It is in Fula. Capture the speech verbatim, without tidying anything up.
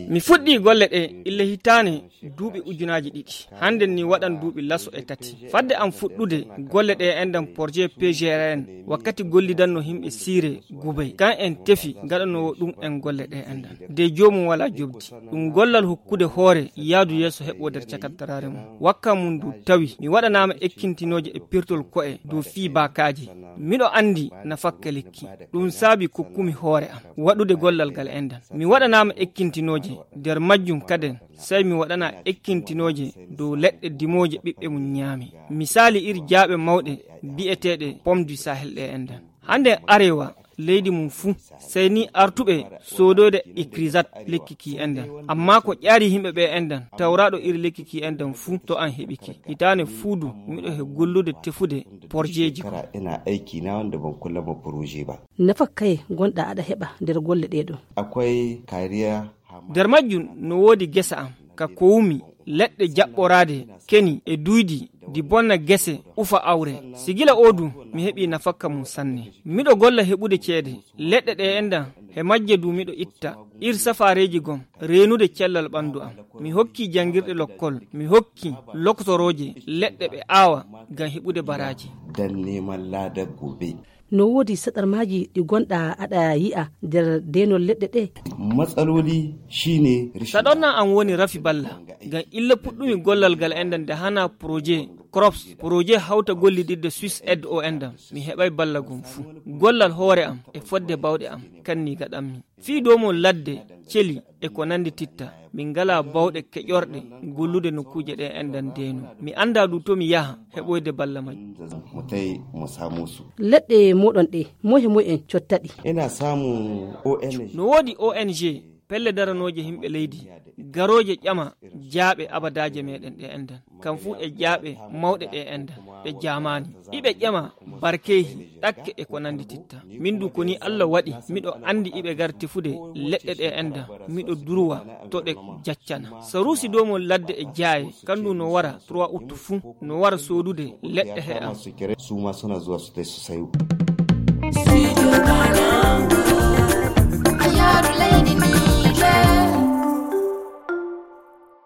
Mi fuɗɗii golle ɗe illa hitaane duuɓi ujunaaji ɗiɗi. Hannde ni waɗan duuɓi laso e tati. Fadde am fuɗɗude golle ɗe enɗan projet P G R N, wakkati gollidanno himɓe siire gubay. Kan en tefi gaɗanoowo ɗum en golle ɗe enɗan. De joomum wala jobdi. Ɗum gollal hokkude hoore yaadu yeeso heɓo nder cakattaraare mum. Wakka mum du tawi mi waɗanaama ekkintinooje e pirtol ko'e dow fii baakaaji. Miɗo anndi na fakka lekki. Ɗum saabi kokkumi hoore am waɗude gollal ngal enɗan. Mi waɗanaama ekkintinooje nder majjum kaden, sey mi waɗana ekkintinooje dow leɗɗe dimooje ɓiɓɓe mum ñaami. Misaali iri jaaɓe mawɗe bi'eteeɗe Pomme du Sahel ɗe enɗan. Hannde arewa leydi mum fuu, sey ni artuɓe soodoyde ikrisat lekki ki enɗan. Amma ko ƴaari yimɓe ɓe enɗan, tawraɗo iri lekki ki enɗan fuu to an heɓi ki. Hitaane fuu du, miɗo he gollude tefude porjeeji ko. Kara ina aiki na wanda ban kulla ma proje ba. Nafa kaye gonɗa aɗa heɓa nder golle ɗe ɗo? Akwai kariya. Nder majjum no woodi gesa am, ka kowumi, leɗɗe jaɓɓoraade, keni e duydi, di bonna gese, ufa awre. Sigila o du, mi heɓi nafakka mum sanne. Miɗo golla heɓude ceede, leɗɗe ɗe enɗan, he majje du miɗo itta, ir safaareeji gom, reenude cellal ɓanndu am. Mi hokki janngirɗe lokkol, mi hokki loktorooje, leɗɗe ɓe aawa, ngam heɓude baraaji. Dan neman ladar gobe. No woodi saɗarmaaji ɗi gonɗa aɗa yi'a nder deenol leɗɗe ɗe? Matsaloli shine rashin. Saɗorna am woni rafi balla. Ngam illa puɗɗumi gollal ngal enɗan nde hana projet crops, projet hawta gollidirde Swiss Aid o enɗan. Mi heɓay balla gom fuu. Gollal hoore am e fodde bawɗe am, kanni gaɗammi. Fii dow mon ladde, celi e ko nandi titta. Min ngala bawɗe keƴorɗe gollude nokkuuje ɗe enɗan deeno. Mi annda du to mi yaha heɓoyde balla majji. Mu tai mu samo su. Leɗɗe moɗon ɗe, moye moye en cottaɗi? Ina samun O N G. No woodi O N G, pelle daranooje yimɓe leydi, garooje ƴama jaaɓe abadaaje meɗen ɗe enɗan. Kam fuu e jaaɓe mawɗe ɗe enɗan, ɓe jaamaani. Iɓe ƴama barkeehi, ɗakke e ko nandi titta. Min du ko ni Allah waɗi, miɗo anndi iɓe gar tefude leɗɗe ɗe enɗan, miɗo durwa to ɗe jaccana. Saruusi dow mon ladde e jaaye, kandu no wara trois août fuu, no wara soodude leɗɗe he am. Su ma suna zuwa su tai su sayo.